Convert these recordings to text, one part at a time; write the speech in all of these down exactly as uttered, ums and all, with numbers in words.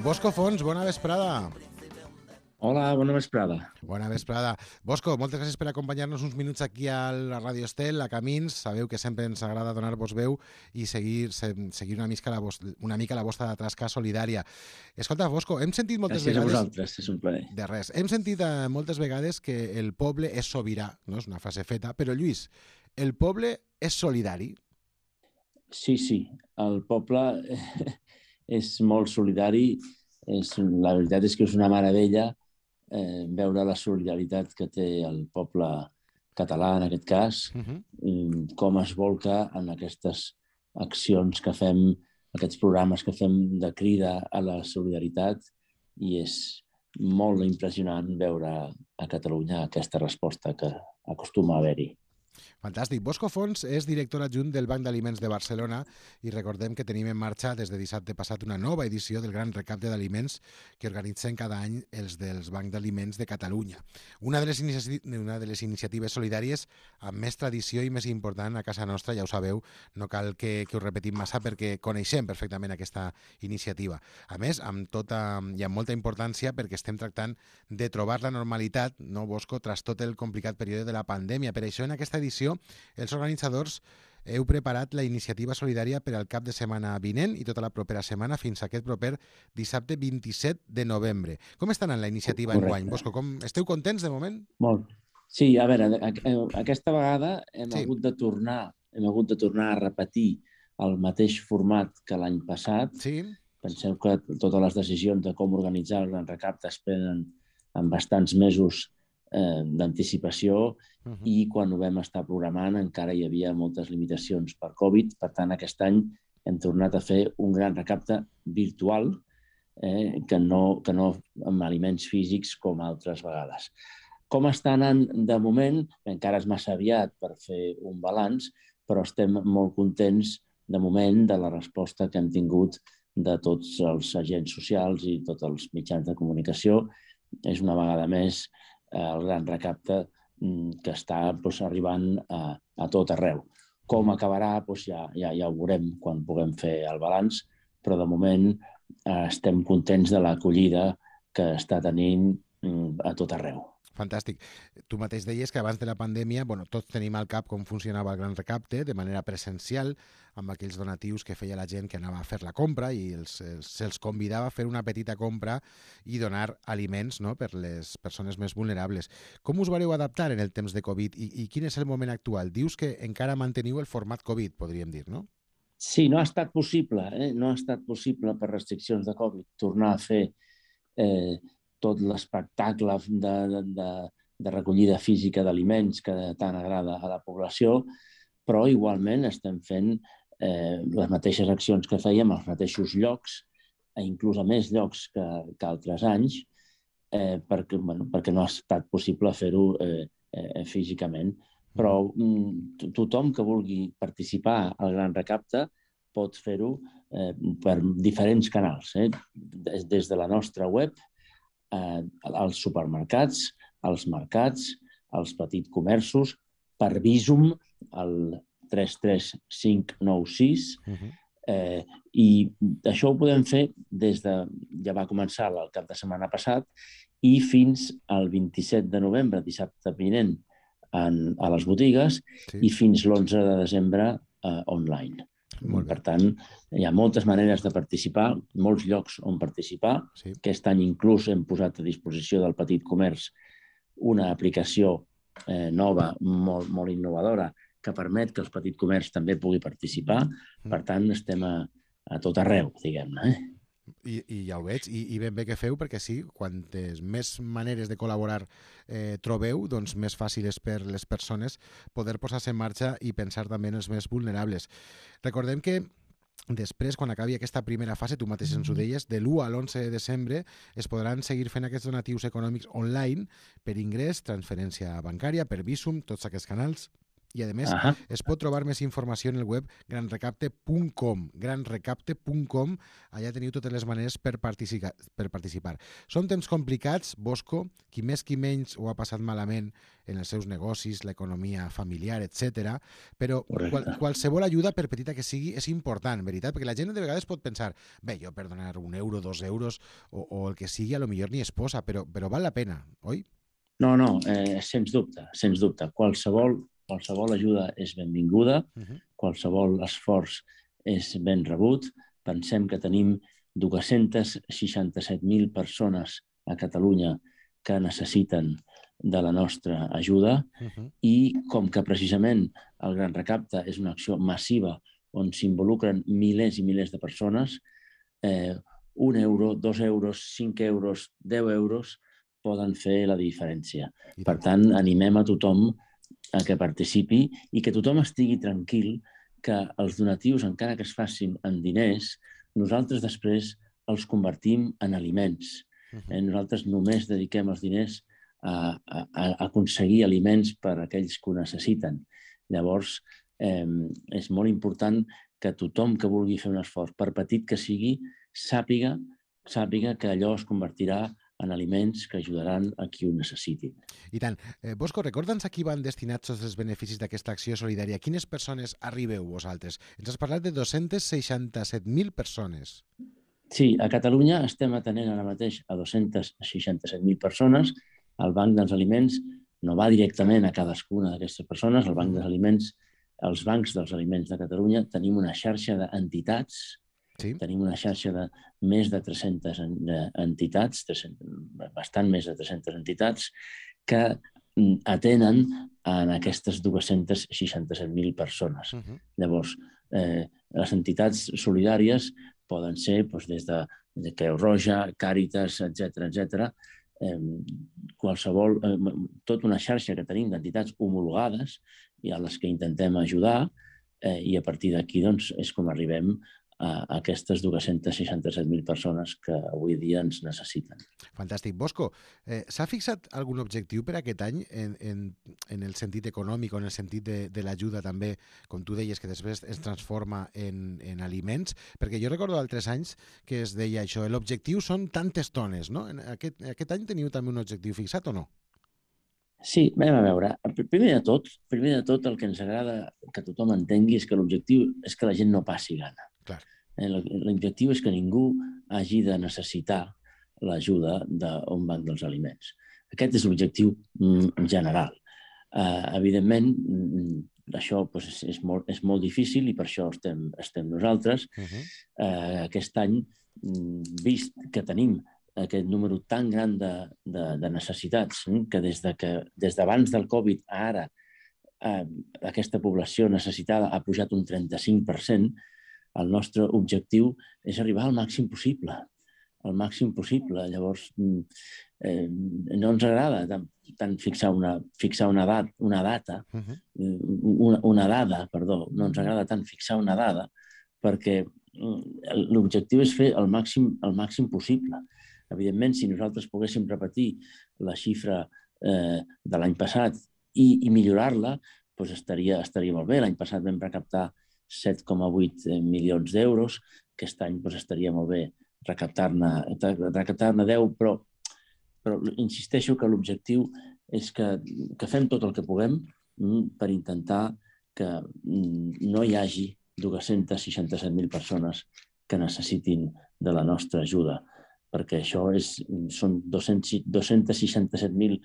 Bosco Fons, bona vesprada. Hola, bona vesprada. Bona vesprada. Bosco, moltes gràcies per acompanyar-nos uns minuts aquí a la Ràdio Estel, a Camins. Sabeu que sempre ens agrada donar-vos veu i seguir, seguir una, mica la vostra, una mica la vostra tasca solidària. Escolta, Bosco, hem sentit moltes gràcies vegades... Gràcies a vosaltres, és un plaer. De res. Hem sentit eh, moltes vegades que el poble és sobirà, no? És una frase feta, però Lluís, el poble és solidari? Sí, sí, el poble és molt solidari. És, la veritat és que és una meravella eh, veure la solidaritat que té el poble català, en aquest cas, uh-huh. com es volca en aquestes accions que fem, aquests programes que fem de crida a la solidaritat, i és molt impressionant veure a Catalunya aquesta resposta que acostuma a haver-hi. Fantàstic. Bosco Fons és director adjunt del Banc d'Aliments de Barcelona i recordem que tenim en marxa des de dissabte passat una nova edició del Gran Recapte d'Aliments que organitzen cada any els dels Banc d'Aliments de Catalunya. Una de les, inici... una de les iniciatives solidàries amb més tradició i més important a casa nostra, ja ho sabeu, no cal que, que ho repetim massa perquè coneixem perfectament aquesta iniciativa. A més, amb tota, i amb molta importància perquè estem tractant de trobar la normalitat, no, Bosco, tras tot el complicat període de la pandèmia. Per això, en aquesta edició, els organitzadors heu preparat la iniciativa solidària per al cap de setmana vinent i tota la propera setmana fins a aquest proper dissabte vint-i-set de novembre. Com està anant la iniciativa enguany, Bosco? Com... Esteu contents de moment? Molt. Sí, a veure, aquesta vegada hem, sí. hagut de tornar, hem hagut de tornar a repetir el mateix format que l'any passat. Sí. Penseu que totes les decisions de com organitzar el Gran Recapte es prenen en bastants mesos eh, d'anticipació, uh-huh. i quan ho vam estar programant encara hi havia moltes limitacions per Covid. Per tant, aquest any hem tornat a fer un gran recapte virtual, eh, que, no, que no amb aliments físics com altres vegades. Com està anant de moment? Encara és massa aviat per fer un balanç, però estem molt contents de moment de la resposta que hem tingut de tots els agents socials i tots els mitjans de comunicació. És una vegada més el gran recapte que està doncs, arribant a, a tot arreu. Com acabarà, doncs, ja, ja, ja ho veurem quan puguem fer el balanç, però de moment eh, estem contents de l'acollida que està tenint a tot arreu. Fantàstic. Tu mateix deies que abans de la pandèmia, bueno, tots tenim al cap com funcionava el Gran Recapte de manera presencial, amb aquells donatius que feia la gent que anava a fer la compra i els, els, se'ls convidava a fer una petita compra i donar aliments, no?, per les persones més vulnerables. Com us vareu adaptar en el temps de Covid i, i quin és el moment actual? Dius que encara manteniu el format Covid, podríem dir, no? Sí, no ha estat possible, eh? no ha estat possible per restriccions de Covid tornar a fer eh, tot l'espectacle de, de, de recollida física d'aliments que tant agrada a la població, però igualment estem fent eh, les mateixes accions que fèiem als mateixos llocs, inclús a més llocs que, que altres anys, eh, perquè, bueno, perquè no ha estat possible fer-ho eh, eh, físicament. Però mm, tothom que vulgui participar al Gran Recapte pot fer-ho eh, per diferents canals, eh? des, des de la nostra web, Eh, als supermercats, als mercats, als petits comerços, per Bizum, el tres tres cinc nou sis, uh-huh. eh, i això ho podem fer des de... Ja va començar el cap de setmana passat i fins al vint-i-set de novembre, dissabte vinent, en, a les botigues, sí. i fins l'onze de desembre eh, online. Per tant, hi ha moltes maneres de participar, molts llocs on participar. Sí. Aquest any inclús hem posat a disposició del petit comerç una aplicació eh, nova, molt, molt innovadora, que permet que el petit comerç també pugui participar. Per tant, estem a, a tot arreu, diguem-ne. Eh? I, i ja ho veig, I, i ben bé que feu, perquè sí, quantes més maneres de col·laborar eh, trobeu, doncs més fàcil és per les persones poder posar-se en marxa i pensar també en els més vulnerables. Recordem que després, quan acabi aquesta primera fase, tu mateix ens ho deies, de l'u a l'onze de desembre es podran seguir fent aquests donatius econòmics online per ingrés, transferència bancària, per Bizum, tots aquests canals, I, a més, Ahà. es pot trobar més informació en el web gran recapte punt com. gran recapte punt com. Allà teniu totes les maneres per participar. Per participar. Són temps complicats, Bosco, qui més qui menys ho ha passat malament en els seus negocis, l'economia familiar, etcètera. Però qual, qualsevol ajuda, per petita que sigui, és important, veritat? Perquè la gent de vegades pot pensar, bé, jo per donar un euro, dos euros, o, o el que sigui, a lo millor ni es posa, però, però val la pena, oi? No, no, eh, sens dubte, sens dubte. Qualsevol, qualsevol ajuda és benvinguda, uh-huh. Qualsevol esforç és ben rebut. Pensem que tenim dos-cents seixanta-set mil persones a Catalunya que necessiten de la nostra ajuda uh-huh. i com que precisament el Gran Recapte és una acció massiva on s'involucren milers i milers de persones, eh, un euro, dos euros, cinc euros, deu euros poden fer la diferència. Per tant, animem a tothom a que participi i que tothom estigui tranquil que els donatius, encara que es facin en diners, nosaltres després els convertim en aliments. Eh? Nosaltres només dediquem els diners a, a, a aconseguir aliments per a aquells que ho necessiten. Llavors, eh, és molt important que tothom que vulgui fer un esforç, per petit que sigui, sàpiga, sàpiga que allò es convertirà en aliments que ajudaran a qui ho necessitin. I tant. Eh, Bosco, recorda'ns a qui van destinats tots els beneficis d'aquesta acció solidària. Quines persones arribeu vosaltres? Ens has parlat de dos-cents seixanta-set mil persones. Sí, a Catalunya estem atenent ara mateix a dos-cents seixanta-set mil persones. El Banc dels Aliments no va directament a cadascuna d'aquestes persones. El Banc dels Aliments, els bancs dels aliments de Catalunya, tenim una xarxa d'entitats. Sí. Tenim una xarxa de més de tres-centes entitats, bastant més de tres-centes entitats, que atenen en aquestes dos-cents seixanta-set mil persones. Uh-huh. Llavors, eh, les entitats solidàries poden ser doncs, des de, de Creu Roja, Càritas, etcètera, etcètera. Eh, qualsevol, eh, tota una xarxa que tenim d'entitats homologades i a les que intentem ajudar, eh, i a partir d'aquí doncs, és com arribem a aquestes dos-cents seixanta-set mil persones que avui dia ens necessiten. Fantàstic. Bosco, eh, s'ha fixat algun objectiu per aquest any en, en, en el sentit econòmic o en el sentit de, de l'ajuda també, com tu deies, que després es transforma en, en aliments? Perquè jo recordo altres anys que es deia això, l'objectiu són tantes tones, no? En aquest, aquest any teniu també un objectiu fixat o no? Sí, anem a veure. Primer de tot, primer de tot el que ens agrada que tothom entengui és que l'objectiu és que la gent no passi gana. Clar. L'objectiu és que ningú hagi de necessitar l'ajuda d'un banc dels aliments. Aquest és l'objectiu general. Uh, evidentment, això pues, és, molt, és molt difícil i per això estem, estem nosaltres. Uh-huh. uh, aquest any, vist que tenim aquest número tan gran de, de, de necessitats, que des de que des d'abans del Covid a ara eh, aquesta població necessitada ha pujat un trenta-cinc per cent, el nostre objectiu és arribar al màxim possible, al màxim possible. Llavors, eh, no ens agrada tant, tant fixar, una, fixar una, dat, una data, uh-huh. una, una dada, perdó, no ens agrada tant fixar una dada, perquè l'objectiu és fer el màxim, el màxim possible. Evidentment, si nosaltres poguéssim repetir la xifra eh, de l'any passat i, i millorar-la, doncs estaria, estaria molt bé. L'any passat vam recaptar set coma vuit milions d'euros. Aquest any doncs, estaria molt bé recaptar-ne recaptar-ne deu, però, però insisteixo que l'objectiu és que, que fem tot el que puguem per intentar que no hi hagi dos-cents seixanta-set mil persones que necessitin de la nostra ajuda, perquè això és, són dos-cents seixanta-set mil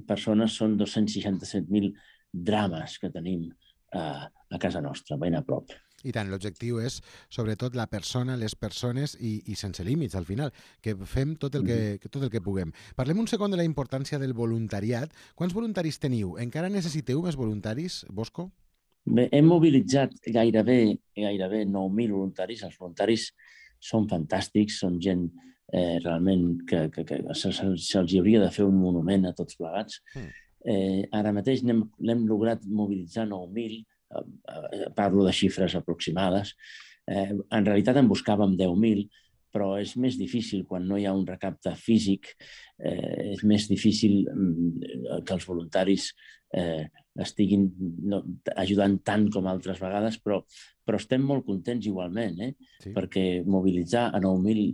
persones, són dos-cents seixanta-set mil drames que tenim a, a casa nostra, ben a prop. I tant, l'objectiu és, sobretot, la persona, les persones i, i sense límits, al final, que fem tot el que, tot el que puguem. Parlem un segon de la importància del voluntariat. Quants voluntaris teniu? Encara necessiteu més voluntaris, Bosco? Bé, hem mobilitzat gairebé, gairebé nou mil voluntaris. Els voluntaris són fantàstics, són gent eh, realment que, que, que se'ls se hauria de fer un monument a tots plegats. Mm. Eh, ara mateix l'hem lograt mobilitzar nou mil, eh, parlo de xifres aproximades. Eh, en realitat en buscàvem deu mil, però és més difícil quan no hi ha un recapte físic, eh, és més difícil que els voluntaris eh, estiguin no, ajudant tant com altres vegades, però, però estem molt contents igualment, eh? Sí. Perquè mobilitzar a nou mil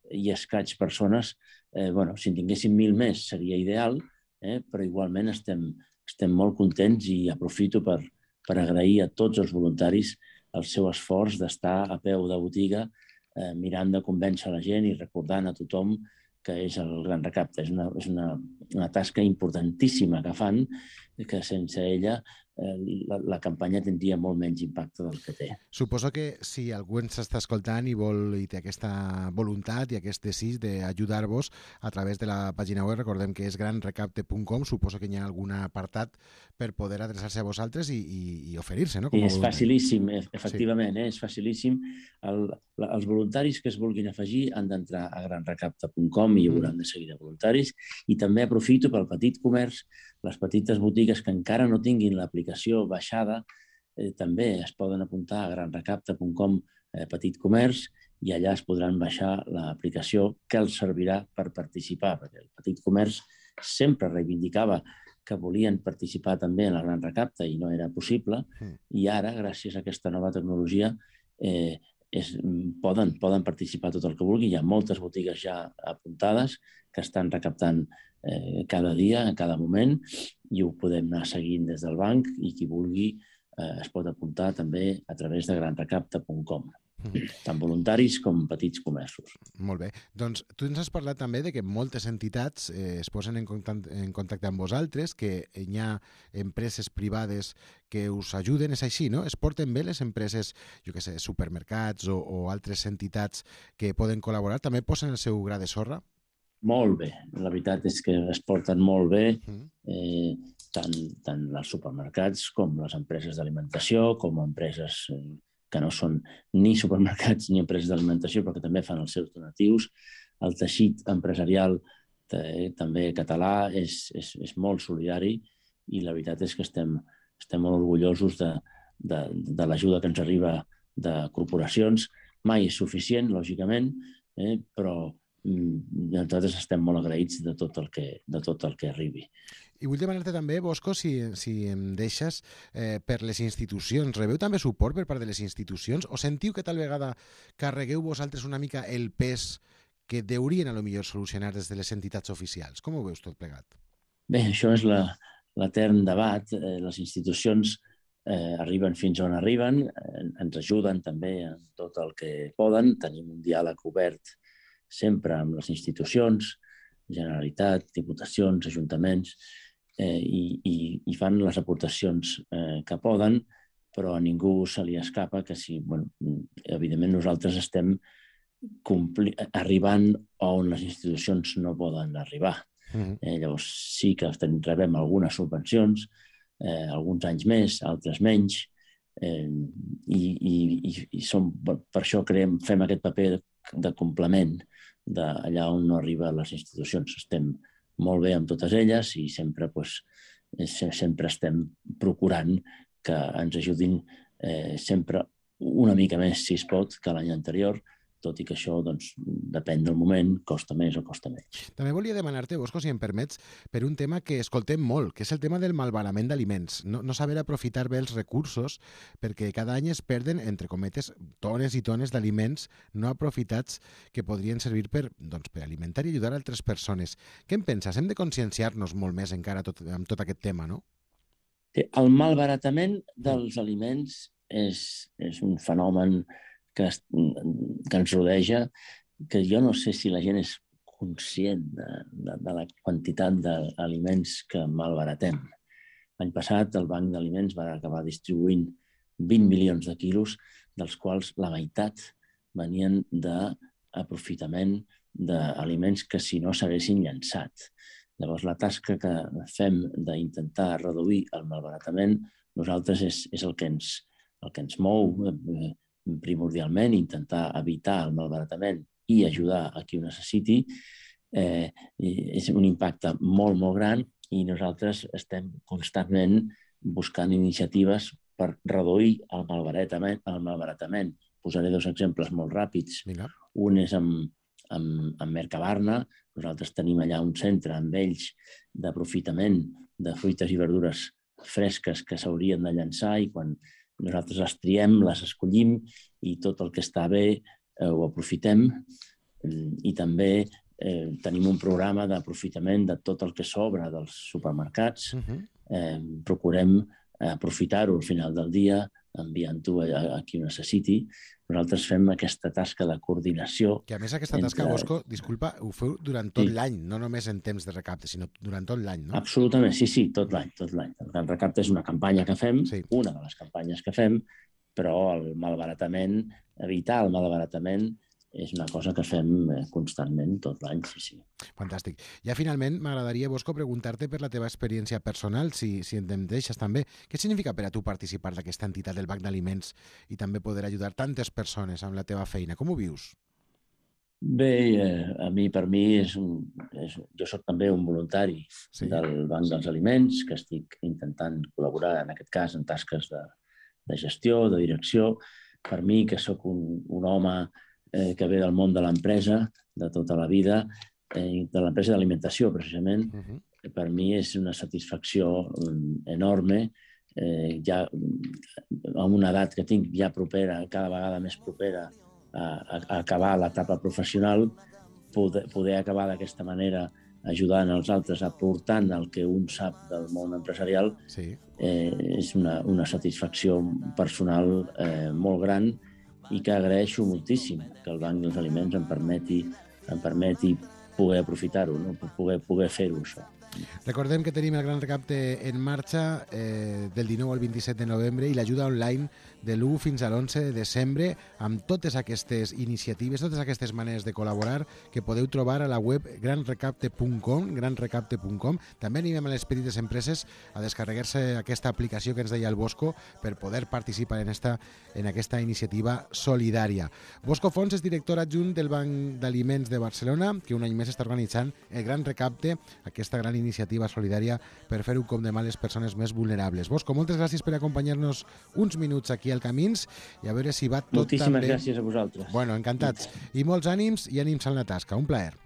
i escaig persones, eh, bueno, si en tinguéssim mil més seria ideal, eh? Però igualment estem, estem molt contents i aprofito per, per agrair a tots els voluntaris el seu esforç d'estar a peu de botiga eh, mirant de convèncer la gent i recordant a tothom que és el Gran Recapte. És una, és una, una tasca importantíssima que fan, que sense ella eh, la, la campanya tindria molt menys impacte del que té. Suposo que si algú ens està escoltant i vol i té aquesta voluntat i aquest desig d'ajudar-vos a través de la pàgina web, recordem que és gran recapte punt com, suposo que hi ha algun apartat per poder adreçar-se a vosaltres i, i, i oferir-se, no? Com I és facilíssim, efectivament, sí. eh? És facilíssim. El, la, els voluntaris que es vulguin afegir han d'entrar a gran recapte punt com i hi hauran de seguir de voluntaris. I també aprofito pel petit comerç, les petites botigues que encara no tinguin l'aplicació baixada, eh, també es poden apuntar a gran recapte punt com eh, petit comerç i allà es podran baixar l'aplicació que els servirà per participar, perquè el petit comerç sempre reivindicava que volien participar també en el Gran Recapte i no era possible, mm. i ara, gràcies a aquesta nova tecnologia, eh, és, poden, poden participar tot el que vulgui. Hi ha moltes botigues ja apuntades que estan recaptant eh, cada dia, en cada moment, i ho podem anar seguint des del banc i qui vulgui eh, es pot apuntar també a través de gran recapte punt com. Tant voluntaris com petits comerços. Molt bé. Doncs tu ens has parlat també de que moltes entitats eh, es posen en contacte, en contacte amb vosaltres, que hi ha empreses privades que us ajuden, és així, no? Es porten bé les empreses, jo què sé, supermercats o, o altres entitats que poden col·laborar? També posen el seu gra de sorra? Molt bé. La veritat és que es porten molt bé, eh, tant, tant els supermercats com les empreses d'alimentació, com empreses eh, que no són ni supermercats ni empreses d'alimentació, però que també fan els seus donatius. El teixit empresarial també català és, és, és molt solidari i la veritat és que estem, estem molt orgullosos de, de, de l'ajuda que ens arriba de corporacions. Mai és suficient, lògicament, eh, però nosaltres estem molt agraïts de tot el que, de tot el que arribi. I vull demanar-te també, Bosco, si, si em deixes, eh, per les institucions. Rebeu també suport per part de les institucions? O sentiu que tal vegada carregueu vosaltres una mica el pes que deurien a lo millor solucionar des de les entitats oficials? Com ho veus tot plegat? Bé, això és la, l'etern debat. Eh, les institucions eh, arriben fins on arriben, eh, ens ajuden també en tot el que poden. Tenim un diàleg obert sempre amb les institucions, Generalitat, diputacions, ajuntaments, eh, i, i, i fan les aportacions eh, que poden, però a ningú se li escapa que si, bueno, evidentment nosaltres estem compli- arribant on les institucions no poden arribar. Mm-hmm. Eh, llavors sí que rebem algunes subvencions, eh, alguns anys més, altres menys, eh, i, i, i som, per això creem, fem aquest paper de, de complement d'allà on no arriben les institucions. Estem molt bé amb totes elles i sempre, doncs, sempre estem procurant que ens ajudin eh, sempre una mica més, si es pot, que l'any anterior, tot i que això, doncs, depèn del moment, costa més o costa menys. També volia demanar-te, Bosco, si em permets, per un tema que escoltem molt, que és el tema del malbaratament d'aliments. No, no saber aprofitar bé els recursos, perquè cada any es perden, entre cometes, tones i tones d'aliments no aprofitats que podrien servir per, doncs, per alimentar i ajudar altres persones. Què en penses? Hem de conscienciar-nos molt més encara tot, amb tot aquest tema, no? El malbaratament dels mm. aliments és, és un fenomen que, es, que ens rodeja, que jo no sé si la gent és conscient de, de, de la quantitat d'aliments que malbaratem. L'any passat el Banc d'Aliments va acabar distribuint vint milions de quilos, dels quals la meitat venien d'aprofitament d'aliments que si no s'haguessin llançat. Llavors la tasca que fem d'intentar reduir el malbaratament, nosaltres és, és el, que ens, el que ens mou eh, primordialment, intentar evitar el malbaratament i ajudar a qui ho necessiti, eh, és un impacte molt, molt gran i nosaltres estem constantment buscant iniciatives per reduir el malbaratament. El malbaratament. Posaré dos exemples molt ràpids. Vinga. Un és amb, amb, amb Mercabarna. Nosaltres tenim allà un centre amb ells d'aprofitament de fruites i verdures fresques que s'haurien de llançar, i quan nosaltres les triem, les escollim, i tot el que està bé eh, ho aprofitem. I també eh, tenim un programa d'aprofitament de tot el que sobra dels supermercats. Uh-huh. eh, procurem aprofitar-ho al final del dia, enviant-ho a, a qui ho necessiti. Nosaltres fem aquesta tasca de coordinació. Que a més aquesta tasca, entre... Bosco, disculpa, ho feu durant tot sí. l'any, no només en temps de recapte, sinó durant tot l'any, no? Absolutament, sí, sí, tot l'any, tot l'any. El Gran Recapte és una campanya que fem, sí. una de les campanyes que fem, però el malbaratament, evitar el malbaratament, és una cosa que fem constantment tot l'any, sí, sí. Fantàstic. Ja finalment m'agradaria, Bosco, preguntar-te per la teva experiència personal, si, si em deixes també. Què significa per a tu participar d'aquesta entitat del Banc d'Aliments i també poder ajudar tantes persones amb la teva feina? Com ho vius? Bé, eh, a mi, per mi, és un, és, jo soc també un voluntari sí. del Banc dels Aliments, que estic intentant col·laborar, en aquest cas, en tasques de, de gestió, de direcció. Per mi, que sóc un, un home eh, que ve del món de l'empresa, de tota la vida, eh, de l'empresa d'alimentació, precisament, uh-huh. per mi és una satisfacció enorme. Eh, ja amb una edat que tinc ja propera, cada vegada més propera a, a, a acabar l'etapa professional, poder, poder acabar d'aquesta manera ajudant els altres, aportant el que un sap del món empresarial, sí. eh, és una, una satisfacció personal eh, molt gran, i que agraeixo moltíssim que el Banc dels Aliments em permeti, em permeti poder aprofitar-ho, no? poder, poder fer-ho, això. Recordem que tenim el Gran Recapte en marxa eh, del dinou al vint-i-set de novembre i l'ajuda online de l'u fins a l'onze de desembre, amb totes aquestes iniciatives, totes aquestes maneres de col·laborar que podeu trobar a la web gran recapte punt com, gran recapte punt com. També animem a les petites empreses a descarregar-se aquesta aplicació que ens deia el Bosco per poder participar en, esta, en aquesta iniciativa solidària. Bosco Fons és director adjunt del Banc d'Aliments de Barcelona, que un any més està organitzant el Gran Recapte, aquesta gran iniciativa solidària per fer un cop de mà a les persones més vulnerables. Bosco, moltes gràcies per acompanyar-nos uns minuts aquí al Camins i a veure si va tot Moltíssimes també... gràcies a vosaltres. Bueno, encantats. I molts ànims i ànims en la tasca. Un plaer.